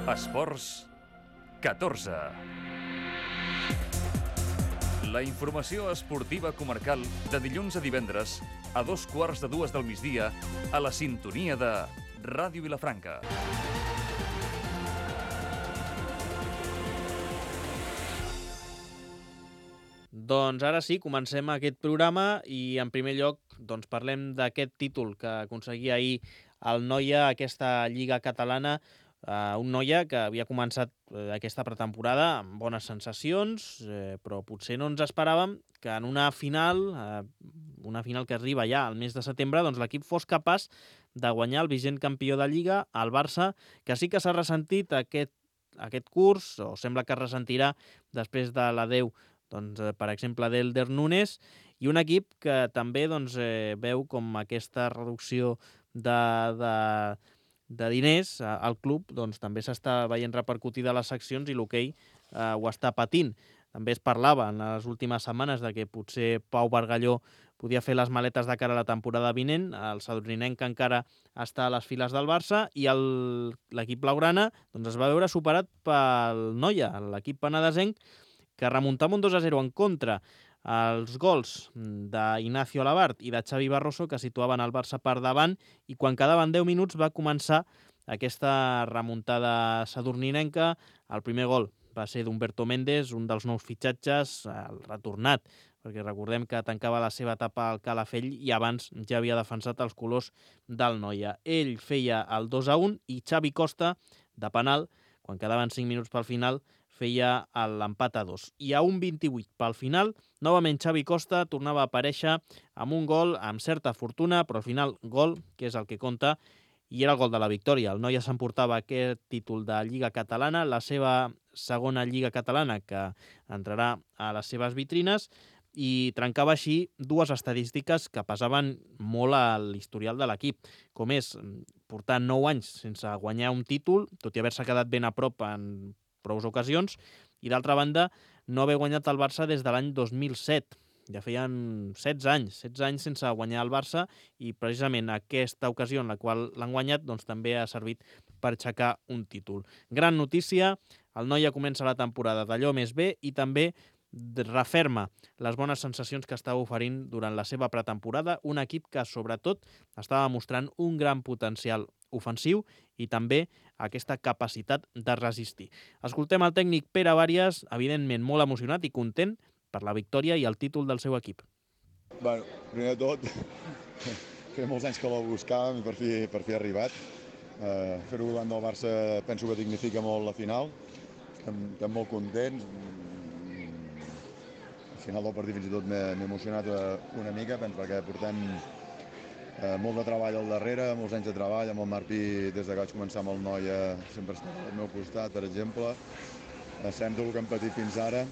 Esports 14. La informació esportiva comarcal de dilluns a divendres a 2:15 del migdia a la sintonia de Ràdio Vilafranca. Doncs ara sí, comencem aquest programa i en primer lloc parlem d'aquest títol que aconseguia ahir el Noia, aquesta Lliga Catalana, un Noia que havia començat aquesta pretemporada amb bones sensacions, però potser no ens esperàvem que en una final que arriba ja al mes de setembre, doncs l'equip fos capaç de guanyar el vigent campió de Lliga, el Barça, que sí que s'ha ressentit aquest curs, o sembla que es ressentirà després de l'adeu, per exemple, d'Elder Núñez, i un equip que també veu com aquesta reducció de diners al club també s'està veient repercutida a les seccions i l'hoquei ho està patint. També es parlava en les últimes setmanes de que potser Pau Bargalló podia fer les maletes de cara a la temporada vinent. El sadurninenc encara està a les files del Barça i l'equip blaugrana es va veure superat pel Noia, l'equip penedesenc, que remuntava un 2-0 en contra. Els gols d'Ignacio Alabart i de Xavi Barroso, que situaven el Barça per davant, i quan quedaven 10 minuts va començar aquesta remuntada sadurninenca. El primer gol va ser d'Humberto Méndez, un dels nous fitxatges, el retornat, perquè recordem que tancava la seva etapa al Calafell i abans ja havia defensat els colors del Noia. Ell feia el 2-1 i Xavi Costa, de penal, quan quedaven 5 minuts pel final, feia l'empat a 2. I a 1:28 pel final, novament Xavi Costa tornava a aparèixer amb un gol amb certa fortuna, però al final gol, que és el que compta, i era el gol de la victòria. El Noia s'emportava aquest títol de Lliga Catalana, la seva segona Lliga Catalana, que entrarà a les seves vitrines, i trencava així dues estadístiques que pesaven molt a l'historial de l'equip, com és portar 9 anys sense guanyar un títol, tot i haver-se quedat ben a prop en prou ocasions, i d'altra banda no haver guanyat el Barça des de l'any 2007. Ja feien 16 anys sense guanyar el Barça, i precisament aquesta ocasió en la qual l'han guanyat també ha servit per aixecar un títol. Gran notícia, el Noia comença la temporada d'allò més bé i també referma les bones sensacions que estava oferint durant la seva pretemporada, un equip que sobretot estava mostrant un gran potencial ofensiu i també aquesta capacitat de resistir. Escoltem el tècnic Pere Bàries, evidentment molt emocionat i content per la victòria i el títol del seu equip. Bueno, primer de tot, feia molts anys que la buscàvem i per fi ha arribat. Fer-ho davant del Barça penso que dignifica molt la final. Estem molt contents. Al final del partit fins i tot m'he emocionat una mica, perquè portem molt de treball al darrere, molts anys de treball, amb el Martí des que vaig començar amb el Noia sempre està al meu costat, per exemple. Sabem tot el que hem patit fins ara.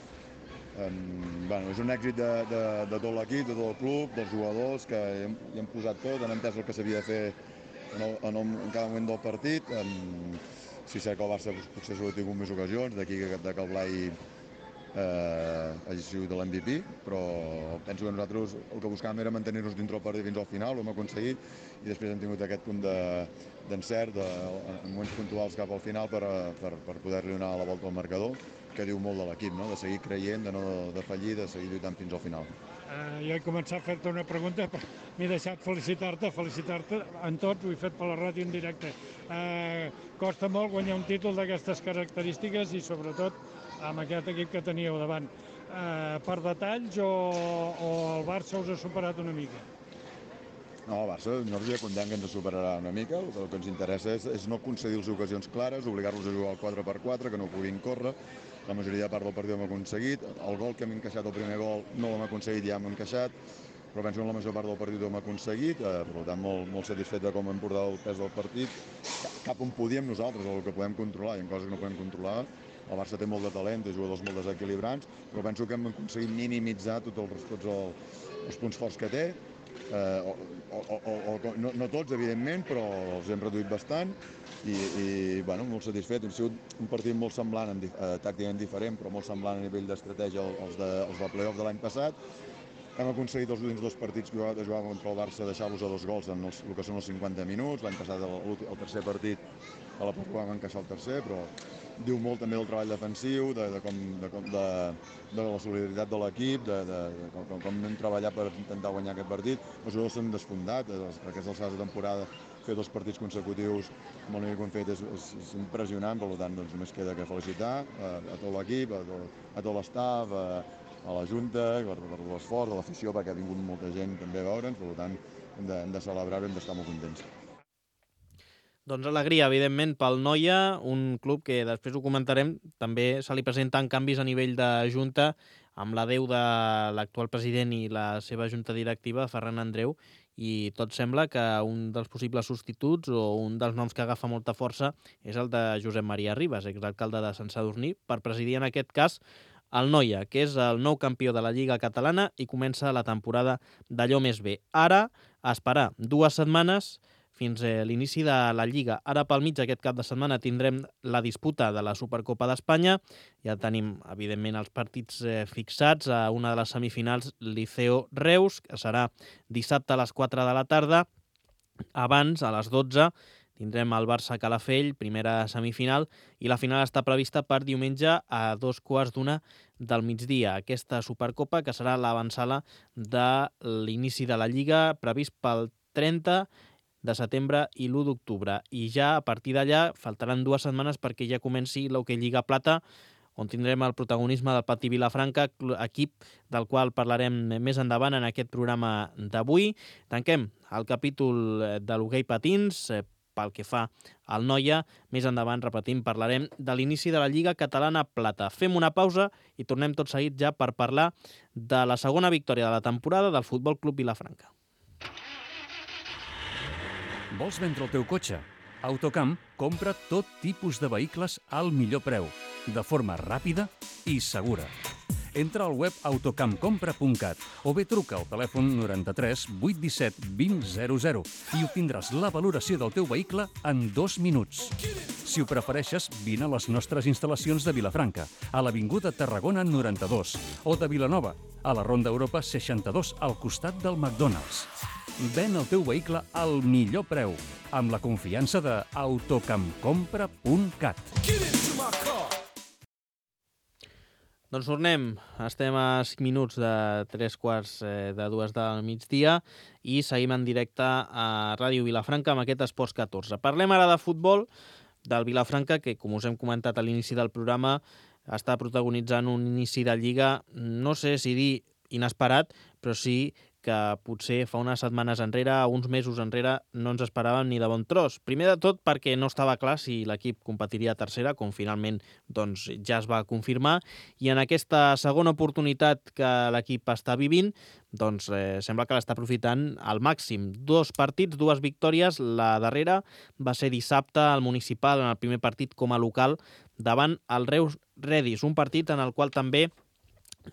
És un èxit de tot l'equip, de tot el club, dels jugadors, que hi hem posat tot, han entès el que s'havia de fer en cada moment del partit. Sí, sé que el Barça potser s'ho ha tingut més ocasions, d'aquí que el Blai hagi sigut l'MVP, però penso que nosaltres el que buscàvem era mantenir-nos dintre el partit fins al final, ho hem aconseguit, i després hem tingut aquest punt d'encert en moments puntuals cap al final per poder-li donar la volta al marcador, que diu molt de l'equip, no? De seguir creient, de no defallir, de seguir lluitant fins al final. Jo he començat a fer-te una pregunta, però m'he deixat felicitar-te en tots, ho he fet per la ràdio en directe. Costa molt guanyar un títol d'aquestes característiques i sobretot amb aquest equip que teníeu davant. Per detalls o el Barça us ha superat una mica? No, el Barça, nosaltres ja comptem que ens superarà una mica. El que ens interessa és no concedir-los ocasions clares, obligar-los a jugar al 4x4, que no puguin córrer. La majoria de part del partit ho hem aconseguit. El gol que hem encaixat, el primer gol, no l'hem aconseguit, ja hem encaixat, però penso que la major part del partit ho hem aconseguit. Per tant, molt satisfet de com hem portat el pes del partit. Cap on podíem nosaltres, el que podem controlar, hi ha coses que no podem controlar. El Barça té molt de talent, té jugadors molt desequilibrants, però penso que hem aconseguit minimitzar tots els punts forts que té. No tots, evidentment, però els hem reduït bastant i molt satisfet. Ha sigut un partit molt semblant, tàcticament diferent, però molt semblant a nivell d'estratègia als de playoff de l'any passat. hem aconseguit els últims 2 partits que jugàvem contra el Barça deixar-los a 2 gols en el que són els 50 minuts. L'any passat, el tercer partit, a la pròrroga vam encaixar el tercer, però diu molt també del treball defensiu, de la solidaritat de l'equip, de com hem treballat per intentar guanyar aquest partit. Els jugadors s'han desfondat, aquestes alçades de temporada, fer 2 partits consecutius amb el nivell que hem fet és impressionant, per tant, doncs, només queda que felicitar a tot l'equip, a tot l'estaf, a la Junta, per l'esforç, a l'afició, perquè ha vingut molta gent també a veure'ns, per tant, hem de celebrar-ho i hem d'estar molt contents. Doncs alegria, evidentment, pel Noia, un club que després ho comentarem, també se li presenten canvis a nivell de Junta, amb l'adeu de l'actual president i la seva junta directiva, Ferran Andreu, i tot sembla que un dels possibles substituts o un dels noms que agafa molta força és el de Josep Maria Ribas, exalcalde de Sant Sadurní, per presidir en aquest cas el Noia, que és el nou campió de la Lliga Catalana i comença la temporada d'allò més bé. Ara, a esperar 2 setmanes fins a l'inici de la Lliga. Ara pel mig aquest cap de setmana tindrem la disputa de la Supercopa d'Espanya. Ja tenim, evidentment, els partits fixats a una de les semifinals Liceo-Reus, que serà dissabte a les 4 de la tarda. Abans, a les 12, tindrem el Barça-Calafell, primera semifinal, i la final està prevista per diumenge a 2:15 del migdia. Aquesta Supercopa, que serà l'avantsala de l'inici de la Lliga, previst pel 30 de setembre i l'1 d'octubre. I ja a partir d'allà faltaran 2 setmanes perquè ja comenci l'Hockey Lliga Plata, on tindrem el protagonisme del Patí Vilafranca, equip del qual parlarem més endavant en aquest programa d'avui. Tanquem el capítol de l'hoquei patins pel que fa al Noia. Més endavant, repetim, parlarem de l'inici de la Lliga Catalana Plata. Fem una pausa i tornem tot seguit ja per parlar de la segona victòria de la temporada del Futbol Club Vilafranca. Vols vendre el teu cotxe? Autocamp compra tot tipus de vehicles al millor preu, de forma ràpida i segura. Entra al web autocampcompra.cat o bé truca al telèfon 93 817 2000 i obtindràs la valoració del teu vehicle en 2 minuts. Si ho prefereixes, vine a les nostres instal·lacions de Vilafranca, a l'Avinguda Tarragona 92, o de Vilanova, a la Ronda Europa 62, al costat del McDonald's. Ven el teu vehicle al millor preu, amb la confiança de autocampcompra.cat. Doncs tornem. Estem a 5 minuts de 3:15 del migdia i seguim en directe a Ràdio Vilafranca amb aquest Esports 14. Parlem ara de futbol del Vilafranca, que, com us hem comentat a l'inici del programa, està protagonitzant un inici de Lliga, no sé si dir inesperat, però sí que potser fa unes setmanes enrere, uns mesos enrere, no ens esperàvem ni de bon tros. Primer de tot perquè no estava clar si l'equip competiria a tercera, com finalment doncs, ja es va confirmar, i en aquesta segona oportunitat que l'equip està vivint, doncs sembla que l'està aprofitant al màxim. 2 partits, 2 victòries. La darrera va ser dissabte al Municipal, en el primer partit com a local, davant el Reus Redis, un partit en el qual també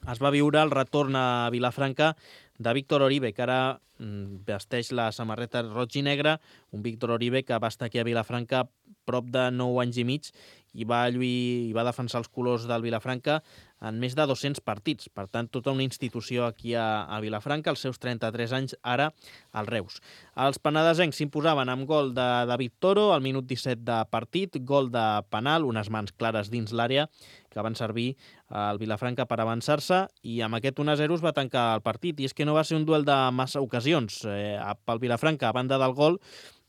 es va viure el retorn a Vilafranca de Víctor Oribe, que ara vesteix la samarreta roig i negra, un Víctor Oribe que va estar aquí a Vilafranca prop de 9 anys i mig i va defensar els colors del Vilafranca en més de 200 partits. Per tant, tota una institució aquí a Vilafranca, als seus 33 anys, ara al Reus. Els penedesencs s'imposaven amb gol de David Toro al minut 17 de partit, gol de penal, unes mans clares dins l'àrea que van servir al Vilafranca per avançar-se, i amb aquest 1-0 es va tancar el partit. I és que no va ser un duel de massa ocasions. Pel Vilafranca, a banda del gol,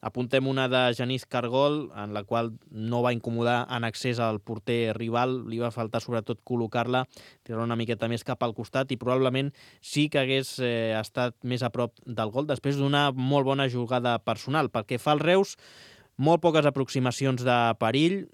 apuntem una de Genís Cargol, en la qual no va incomodar en accés al porter rival, li va faltar sobretot col·locar-la, tirar una miqueta més cap al costat, i probablement sí que hagués estat més a prop del gol, després d'una molt bona jugada personal. Pel que fa al Reus, molt poques aproximacions de perill,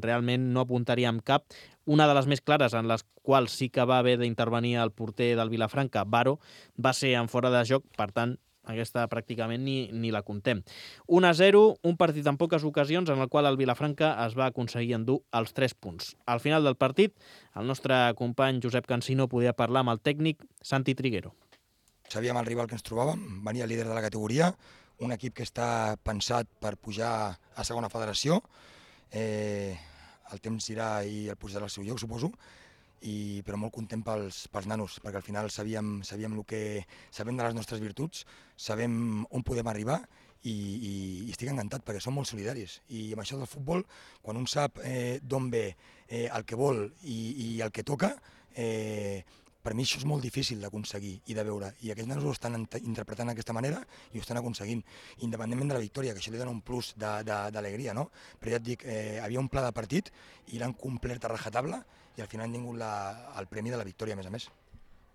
realment no apuntaríem cap. Una de les més clares, en les quals sí que va haver d'intervenir el porter del Vilafranca, Baro, va ser en fora de joc, per tant, aquesta pràcticament ni la contem. 1-0, un partit amb poques ocasions en el qual el Vilafranca es va aconseguir endur els 3 punts. Al final del partit, el nostre company Josep Cansino podia parlar amb el tècnic Santi Triguero. Sabíem el rival que ens trobàvem, venia líder de la categoria, un equip que està pensat per pujar a segona federació. El temps irà i el posarà al seu lloc, suposo. però molt content pels nanos, perquè al final sabem de les nostres virtuts, sabem on podem arribar i estic encantat perquè són molt solidaris. I amb això del futbol, quan un sap d'on ve, el que vol i el que toca, per mi això és molt difícil d'aconseguir i de veure, i aquests nanos ho estan interpretant d'aquesta manera i ho estan aconseguint, independentment de la victòria, que això li dona un plus d'alegria, no? Però ja et dic, havia un pla de partit i l'han complert a rajatabla i al final han tingut el premi de la victòria, a més.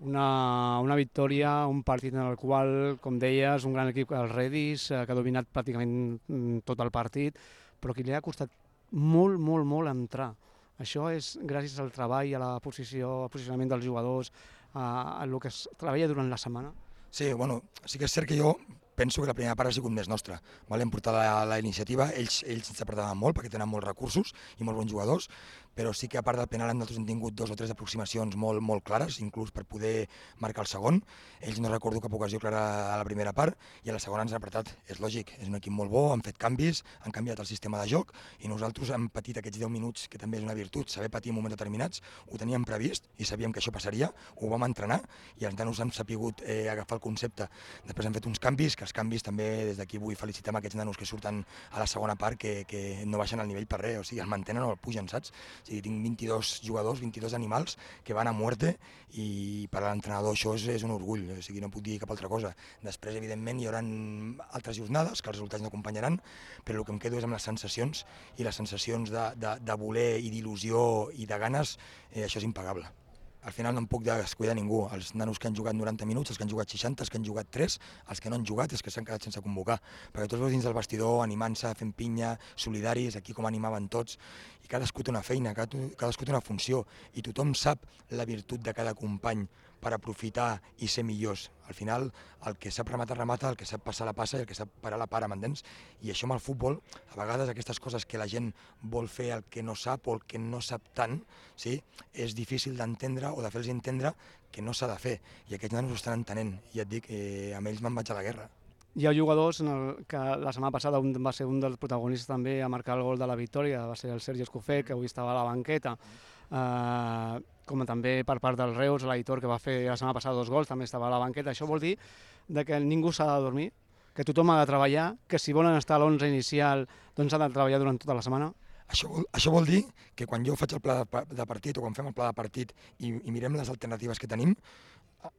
Una victòria, un partit en el qual, com deies, un gran equip, el Redis, que ha dominat pràcticament tot el partit, però que li ha costat molt entrar. Això és gràcies al treball, a al posicionament dels jugadors, a el que es treballa durant la setmana. Sí, bueno, sí que és cert que jo penso que la primera part ha sigut més nostra. Hem portat la iniciativa, ells ens apretaven molt perquè tenen molts recursos i molts bons jugadors, però sí que a part del penal nosaltres hem tingut 2 o 3 aproximacions molt clares, inclús per poder marcar el segon. Ells no recordo cap ocasió clara a la primera part i a la segona ens han apretat. És lògic, és un equip molt bo, han fet canvis, han canviat el sistema de joc i nosaltres hem patit aquests 10 minuts, que també és una virtut, saber patir en moments determinats, ho teníem previst i sabíem que això passaria, ho vam entrenar i els nanos han sapigut agafar el concepte. Després hem fet uns canvis, que els canvis també des d'aquí vull felicitar aquests nanos que surten a la segona part que no baixen el nivell per res, o sigui, el mantenen o el pugen, saps? O sigui, tinc 22 jugadors, 22 animals que van a muerte i per a l'entrenador això és un orgull, o sigui, no puc dir cap altra cosa. Després, evidentment, hi haurà altres jornades que els resultats no acompanyaran, però el que em quedo és amb les sensacions i les sensacions de voler i d'il·lusió i de ganes, això és impagable. Al final no em puc descuidar ningú, els nanos que han jugat 90 minuts, els que han jugat 60, els que han jugat 3, els que no han jugat, els que s'han quedat sense convocar, perquè tots veus dins del vestidor, animant-se, fent pinya, solidaris, aquí com animaven tots, i cadascú té una feina, cadascú té una funció, i tothom sap la virtut de cada company per aprofitar i ser millors. Al final, el que sap rematar, remata, el que sap passar la passa i el que sap parar la para, m'entens? I això amb el futbol, a vegades aquestes coses que la gent vol fer el que no sap o el que no sap tant, sí? És difícil d'entendre o de fer-los entendre que no s'ha de fer. I aquests nanos ho estan entenent. I et dic, amb ells me'n vaig a la guerra. Hi ha jugadors que la setmana passada va ser un dels protagonistes també a marcar el gol de la victòria, va ser el Sergi Escofet, que avui estava a la banqueta, com també per part del Reus, l'Aitor, que va fer la setmana passada 2 gols, també estava a la banqueta. Això vol dir que ningú s'ha de dormir, que tothom ha de treballar, que si volen estar a l'11 inicial doncs s'ha de treballar durant tota la setmana. Això vol dir que quan jo faig el pla de partit o quan fem el pla de partit i mirem les alternatives que tenim,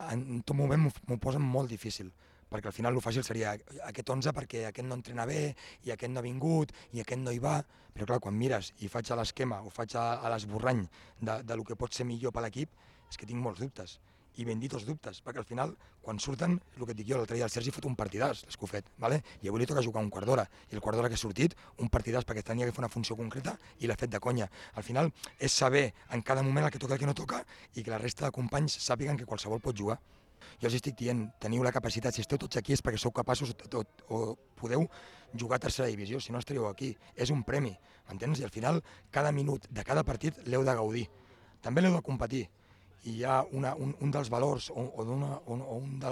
en tot moment m'ho posen molt difícil, perquè al final el fàcil seria aquest 11 perquè aquest no entrena bé i aquest no ha vingut i aquest no hi va, però clar, quan mires i faig a l'esquema o faig a l'esborrany del que pot ser millor per l'equip, és que tinc molts dubtes, i ben dits dubtes, perquè al final, quan surten, és el que et dic jo, l'altre dia el Sergi fot un partidàs, l'Escofet, i avui li toca jugar un quart d'hora, i el quart d'hora que ha sortit, un partidàs perquè tenia que fer una funció concreta i l'ha fet de conya. Al final és saber en cada moment el que toca i el que no toca i que la resta de companys sàpiguen que qualsevol pot jugar. Jo els estic dient, teniu la capacitat, si esteu tots aquí és perquè sou capaços o podeu jugar a tercera divisió, si no estaríeu aquí. És un premi, m'entens? I al final, cada minut de cada partit l'heu de gaudir. També l'heu de competir. I hi ha un dels valors o un de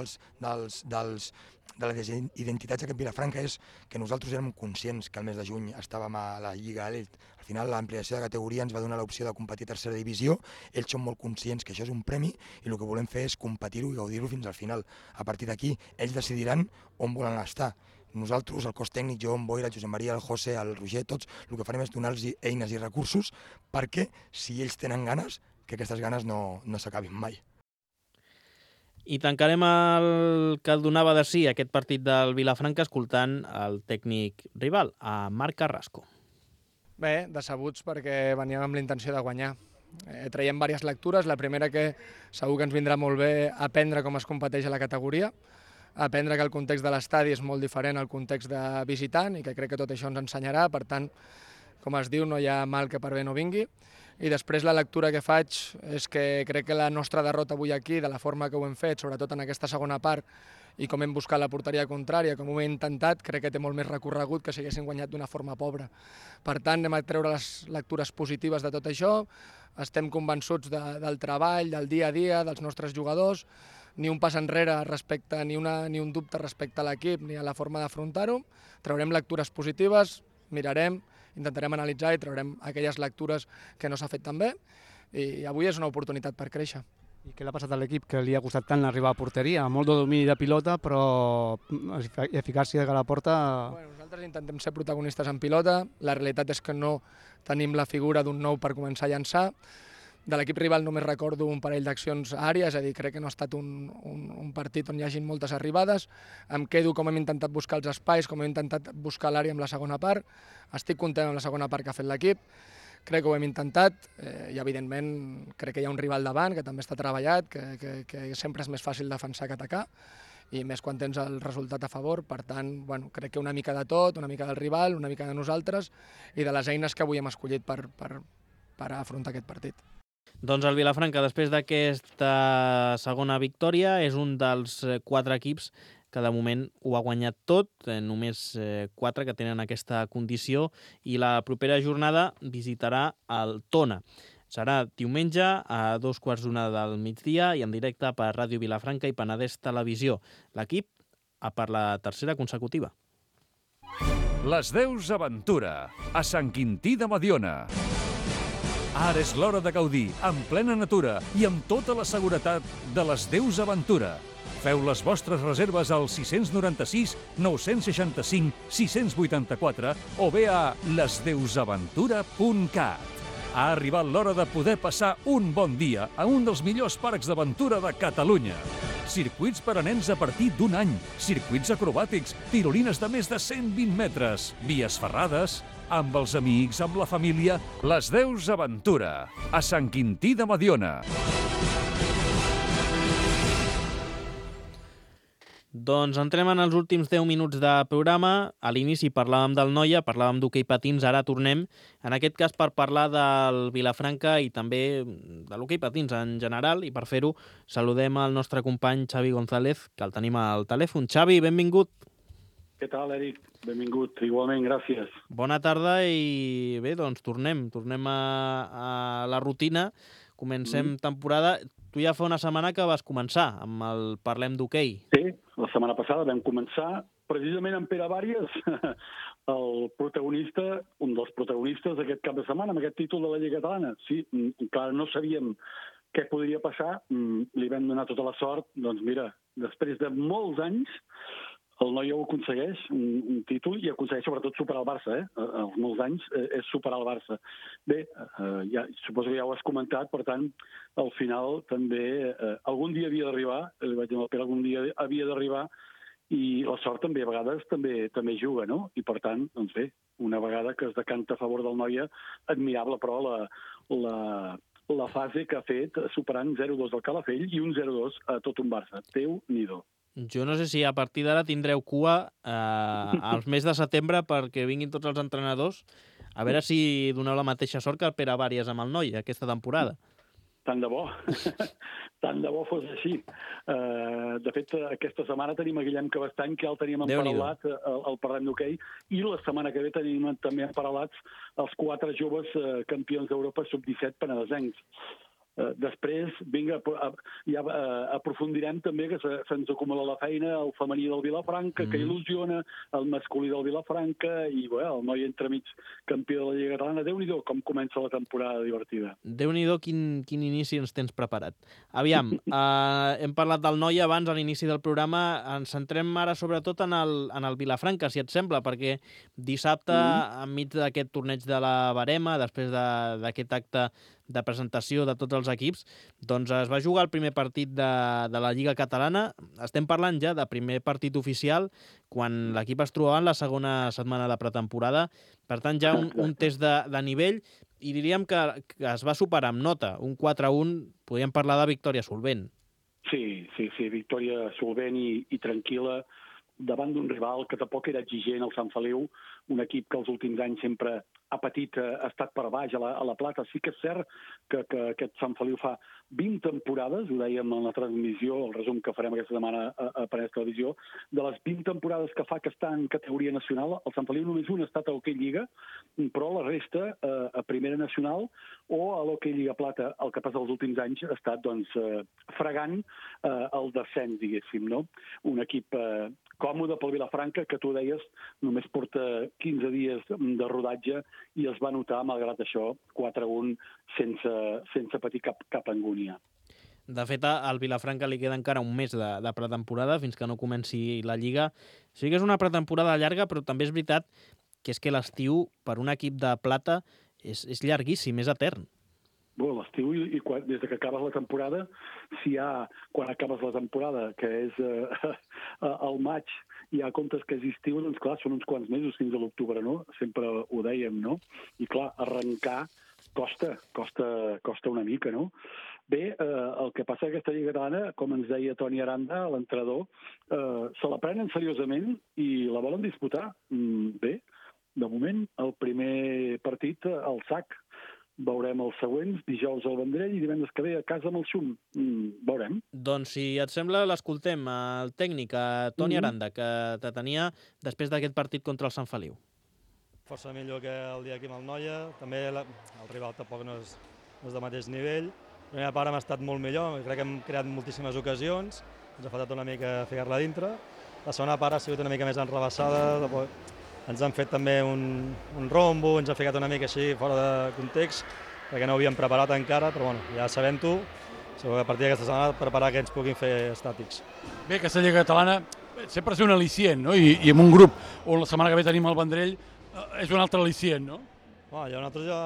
les identitats d'aquest Vilafranca és que nosaltres érem conscients que el mes de juny estàvem a la Lliga Elit. Al final l'ampliació de categoria ens va donar l'opció de competir a tercera divisió, ells són molt conscients que això és un premi i el que volem fer és competir-ho i gaudir-ho fins al final. A partir d'aquí ells decidiran on volen estar. Nosaltres, el cos tècnic, jo, en Boira, el Josep Maria, el José, el Roger, tots, el que farem és donar-los eines i recursos perquè, si ells tenen ganes, que aquestes ganes no s'acabin mai. I tancarem el que el donava de sí aquest partit del Vilafranca escoltant el tècnic rival, a Marc Carrasco. Bé, decebuts perquè veníem amb la intenció de guanyar. Traiem diverses lectures. La primera, que segur que ens vindrà molt bé aprendre com es competeix a la categoria, aprendre que el context de l'estadi és molt diferent al context de visitant i que crec que tot això ens ensenyarà. Per tant, com es diu, no hi ha mal que per bé no vingui. I després la lectura que faig és que crec que la nostra derrota avui aquí, de la forma que ho hem fet, sobretot en aquesta segona part, i com hem buscat la porteria contrària, com ho hem intentat, crec que té molt més recorregut que si haguéssim guanyat d'una forma pobra. Per tant, anem a treure les lectures positives de tot això, estem convençuts del treball, del dia a dia, dels nostres jugadors, ni un pas enrere respecte, ni un dubte respecte a l'equip ni a la forma d'afrontar-ho. Traurem lectures positives, mirarem, intentarem analitzar i traurem aquelles lectures que no s'ha fet tan bé i avui és una oportunitat per créixer. I què l'ha passat a l'equip que li ha costat tant arribar a porteria? Molt de domini de pilota, però eficàcia de la porta... Bueno, nosaltres intentem ser protagonistes en pilota, la realitat és que no tenim la figura d'un nou per començar a llançar. De l'equip rival només recordo un parell d'accions àrees, és a dir, crec que no ha estat un partit on hi hagin moltes arribades. Em quedo com hem intentat buscar els espais, com hem intentat buscar l'àrea amb la segona part. Estic content amb la segona part que ha fet l'equip. Crec que ho hem intentat i, evidentment, crec que hi ha un rival davant que també està treballat, que sempre és més fàcil defensar que atacar, i més quan tens el resultat a favor. Per tant, bueno, crec que una mica de tot, una mica del rival, una mica de nosaltres i de les eines que avui hem escollit per afrontar aquest partit. Doncs el Vilafranca, després d'aquesta segona victòria, és un dels 4 equips que de moment ho ha guanyat tot, només 4 que tenen aquesta condició, i la propera jornada visitarà el Tona. Serà diumenge a 2:15 del migdia i en directe per Ràdio Vilafranca i Penedès Televisió. L'equip a per la tercera consecutiva. Les Deus Aventura, a Sant Quintí de Mediona. Ara és l'hora de gaudir, en plena natura i amb tota la seguretat de les Deus Aventura. Feu les vostres reserves al 696 965 684 o bé a lesdeusaventura.cat. Ha arribat l'hora de poder passar un bon dia a un dels millors parcs d'aventura de Catalunya. Circuits per a nens a partir d'un any, circuits acrobàtics, tirolines de més de 120 metres, vies ferrades, amb els amics, amb la família, les Deus Aventura, a Sant Quintí de Mediona. Doncs entrem en els últims 10 minuts de programa. A l'inici parlàvem del Noia, parlàvem d'hoquei patins, ara tornem, en aquest cas per parlar del Vilafranca i també de l'hoquei patins en general, i per fer-ho saludem al nostre company Xavi González, que el tenim al telèfon. Xavi, benvingut. Què tal, Eric? Benvingut. Igualment, gràcies. Bona tarda i bé, doncs tornem a la rutina. Comencem temporada. Tu ja fa una setmana que vas començar amb el Parlem d'Hoquei. Sí, la setmana passada vam començar precisament amb Pere Bàries, el protagonista, un dels protagonistes d'aquest cap de setmana, amb aquest títol de la Lliga Catalana. Sí, encara no sabíem què podria passar, li vam donar tota la sort. Doncs mira, després de molts anys, el Noia ho aconsegueix, un títol, i aconsegueix sobretot superar el Barça. Els molts anys és superar el Barça. Bé, suposo que ja ho has comentat, per tant, al final també algun dia havia d'arribar, li vaig dir al Pere, algun dia havia d'arribar, i la sort també a vegades també juga, no? I per tant, doncs bé, una vegada que es decanta a favor del Noia, admirable, però la fase que ha fet superant 0-2 al Calafell i un 0-2 a tot un Barça. Déu-n'hi-do. Jo no sé si a partir d'ara tindreu cua al mes de setembre perquè vinguin tots els entrenadors, a veure si doneu la mateixa sort que el Pere Bàries amb el Noia aquesta temporada. Tant de bo. Tant de bo fos així. De fet, aquesta setmana tenim a Guillem Cabestany, que ja el teníem emparaulat al Parlem d'Hoquei, i la setmana que ve tenim també emparelats els 4 joves campions d'Europa sub-17 penedesencs. Després, vinga, ja aprofundirem també que se'ns acumula la feina, el femení del Vilafranca, que il·lusiona, el masculí del Vilafranca, i el Noia entremig campió de la Lliga Catalana. Déu-n'hi-do com comença la temporada divertida. Déu-n'hi-do quin inici ens tens preparat. Aviam, hem parlat del Noia abans, a l'inici del programa. Ens centrem ara sobretot en el Vilafranca, si et sembla, perquè dissabte, enmig d'aquest torneig de la Barema, després d'aquest acte de presentació de tots els equips, doncs es va jugar el primer partit de la Lliga Catalana. Estem parlant ja de primer partit oficial, quan l'equip es trobava en la segona setmana de pretemporada. Per tant, ja un test de nivell, i diríem que es va superar amb nota. Un 4-1, podríem parlar de victòria solvent. Sí, victòria solvent i tranquil·la davant d'un rival que tampoc era exigent, el Sant Feliu, un equip que els últims anys sempre ha patit, ha estat per baix a la plata. Sí que és cert que aquest Sant Feliu fa 20 temporades, ho dèiem en la transmissió, el resum que farem aquesta setmana a Penedès Televisió, de les 20 temporades que fa que està en categoria nacional, el Sant Feliu només un ha estat a l'Hoquei Lliga, però la resta a Primera Nacional o a l'Hoquei Lliga Plata. El que passa els últims anys ha estat fregant el descens, diguéssim, no? Un equip còmode pel Vilafranca, que tu deies, només porta 15 dies de rodatge i es va notar, malgrat això, 4-1 sense patir cap angúnia. De fet, al Vilafranca li queda encara un mes de pretemporada fins que no comenci la Lliga. Sí que és una pretemporada llarga, però també és veritat que és que l'estiu per un equip de plata és llarguíssim, és etern. Bueno, l'estiu i des de que acabes la temporada, quan acabes la temporada, que és al maig, hi ha comptes que és estiu, doncs clar, són uns quants mesos fins a l'octubre, no? Sempre ho dèiem, no? I clar, arrencar costa una mica, no? Bé, el que passa que aquesta Lliga Catalana, com ens deia Toni Aranda, l'entrenador, se la prenen seriosament i la volen disputar. Bé, de moment, el primer partit al sac. Veurem els següents, dijous al Vendrell i divendres que ve a casa amb el Xum. Veurem. Doncs, si et sembla, l'escoltem, el tècnic, Toni Aranda, que te tenia després d'aquest partit contra el Sant Feliu. Força millor que el dia aquí amb el Noia. També el rival tampoc no és de mateix nivell. La primera part hem estat molt millor, crec que hem creat moltíssimes ocasions, ens ha faltat una mica ficar-la dintre. La segona part ha sigut una mica més enrebaçada, ens han fet també un rombo, ens ha ficat una mica així fora de context, perquè no ho havíem preparat encara, però bueno, ja sabem-ho, segur que a partir d'aquesta setmana preparar que ens puguin fer estàtics. Bé, aquesta Lliga Catalana sempre és un al·licient, no? I en un grup on la setmana que ve tenim el Vendrell és un altre al·licient, no? Nosaltres ja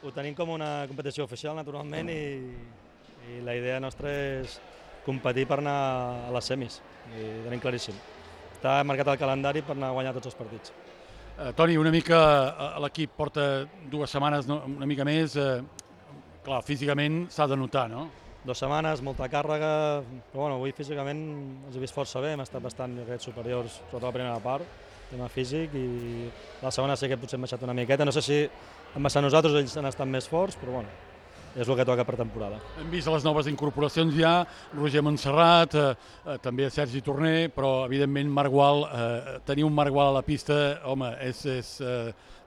ho tenim com una competició oficial, naturalment, i la idea nostra és competir per anar a les semis, i ho tenim claríssim. Està marcat el calendari per anar a guanyar tots els partits. Toni, una mica l'equip porta 2 setmanes, una mica més, clar, físicament s'ha de notar, no? 2 setmanes, molta càrrega, però bueno, avui físicament els he vist força bé, hem estat bastant superiors, sobretot la primera part, tema físic, i la segona sí que potser hem baixat una miqueta. No sé si hem baixat nosaltres o ells han estat més forts, però bueno, és el que toca per temporada. Hem vist les noves incorporacions ja, Roger Montserrat, també Sergi Torner, però evidentment Marc Gual, tenir un Marc Gual a la pista, home, és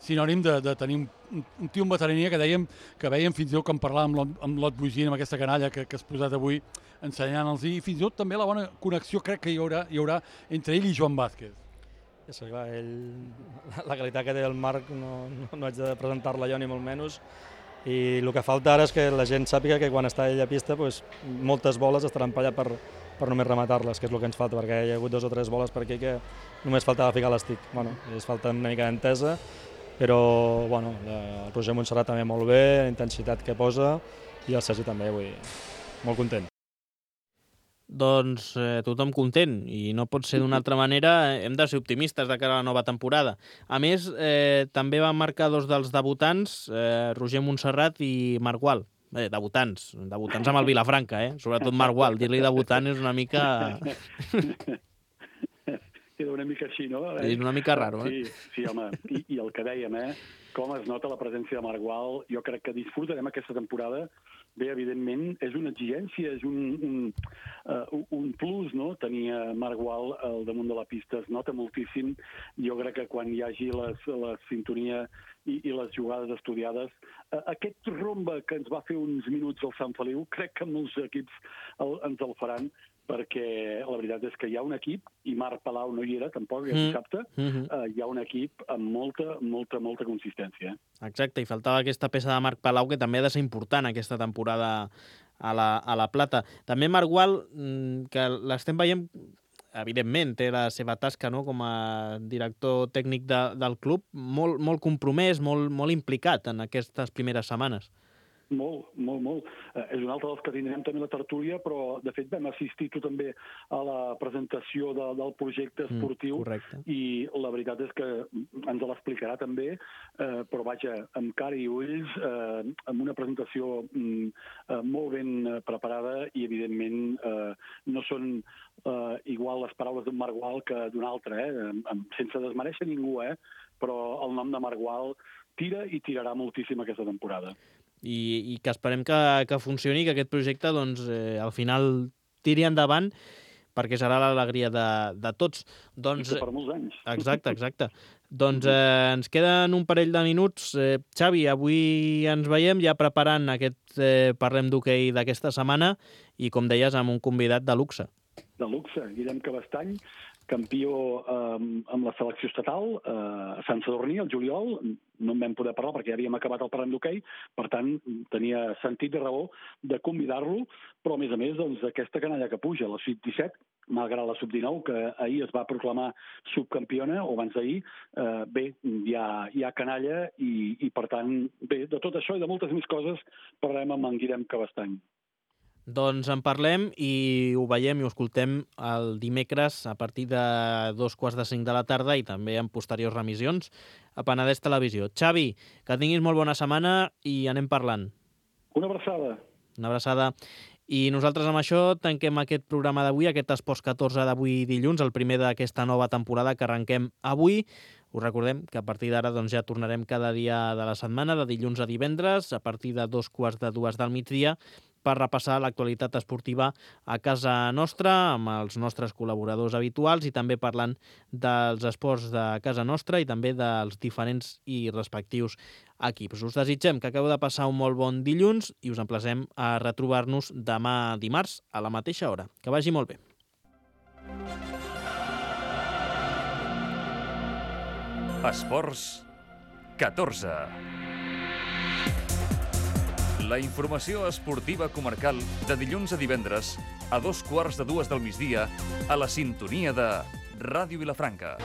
sinònim de tenir un tio amb veterania que dèiem, que veiem fins i tot que en parlàvem amb l'Ot Bugín, amb aquesta canalla que has posat avui, ensenyant-los, i fins i tot també la bona connexió crec que hi haurà entre ell i Joan Vázquez. Sí, clar, la qualitat que té el Marc no haig de presentar-la jo ni molt menys, i el que falta ara és que la gent sàpiga que quan està ell a pista moltes boles estaran per allà per només rematar-les, que és el que ens falta, perquè hi ha hagut 2 o 3 boles per aquí que només faltava ficar l'estic. Es falta una mica d'entesa, però el Roger Montserrat també molt bé, la intensitat que posa, i el Sergi també, molt content. Doncs tothom content, i no pot ser d'una altra manera. Hem de ser optimistes de cara a la nova temporada. A més, també van marcar 2 dels debutants, Roger Montserrat i Marc Gual. Debutants amb el Vilafranca, sobretot Marc Gual. Dir-li debutant és una mica... Queda una mica així, no? És una mica raro, Sí, home, i el que dèiem, com es nota la presència de Marc Gual, jo crec que disfrutarem aquesta temporada. Bé, evidentment, és una exigència, és un plus, no?, tenir Marc Gual al damunt de la pista. Es nota moltíssim. Jo crec que quan hi hagi la sintonia i les jugades estudiades, aquest rombe que ens va fer uns minuts al Sant Feliu, crec que molts equips ens el faran, perquè la veritat és que hi ha un equip, i Marc Palau no hi era tampoc, dissabte, hi ha un equip amb molta consistència. Exacte, i faltava aquesta peça de Marc Palau, que també ha de ser important aquesta temporada a la Plata. També Marc Gual, que l'estem veient, evidentment, té la seva tasca, no?, com a director tècnic del club, molt compromès, molt implicat en aquestes primeres setmanes. Molt. És un altre dels que tindrem també la tertúlia, però de fet vam assistir tu també a la presentació del projecte esportiu, i la veritat és que ens l'explicarà també, però vaja, amb cara i ulls, amb una presentació molt ben preparada, i evidentment no són igual les paraules d'un Marc Gual que d'un altre, sense desmereixer ningú, però el nom de Marc Gual tira i tirarà moltíssim aquesta temporada. I que esperem que funcioni, que aquest projecte doncs, al final tiri endavant, perquè serà l'alegria de tots. I per molts anys. Exacte. Doncs ens queden un parell de minuts. Xavi, avui ens veiem ja preparant aquest Parlem d'Hoquei d'aquesta setmana, i com deies, amb un convidat de luxe. De luxe, Guillem Cabestany, campió amb la selecció estatal a Sant Sadurní, al juliol. No en vam poder parlar perquè ja havíem acabat el parany d'hoquei, per tant, tenia sentit i raó de convidar-lo, però a més, doncs, aquesta canalla que puja, la sub-17, malgrat la sub-19, que ahir es va proclamar subcampiona, o abans d'ahir, bé, hi ha canalla i, per tant, bé, de tot això i de moltes més coses parlarem amb en Guillem Cabestany. Doncs en parlem i ho veiem i ho escoltem el dimecres a partir de 2:45 de la tarda i també en posteriors remissions a Penedès Televisió. Xavi, que tinguis molt bona setmana i anem parlant. Una abraçada. Una abraçada. I nosaltres amb això tanquem aquest programa d'avui, aquest Esports 14 d'avui dilluns, el primer d'aquesta nova temporada que arrenquem avui. Us recordem que a partir d'ara doncs, ja tornarem cada dia de la setmana, de dilluns a divendres, a partir de 2:45 del migdia, per repassar l'actualitat esportiva a casa nostra, amb els nostres col·laboradors habituals i també parlant dels esports de casa nostra i també dels diferents i respectius equips. Us desitgem que acabeu de passar un molt bon dilluns i us emplacem a retrobar-nos demà dimarts a la mateixa hora. Que vagi molt bé. Esports 14. La informació esportiva comarcal de dilluns a divendres a 2:15 del migdia a la sintonia de Ràdio Vilafranca.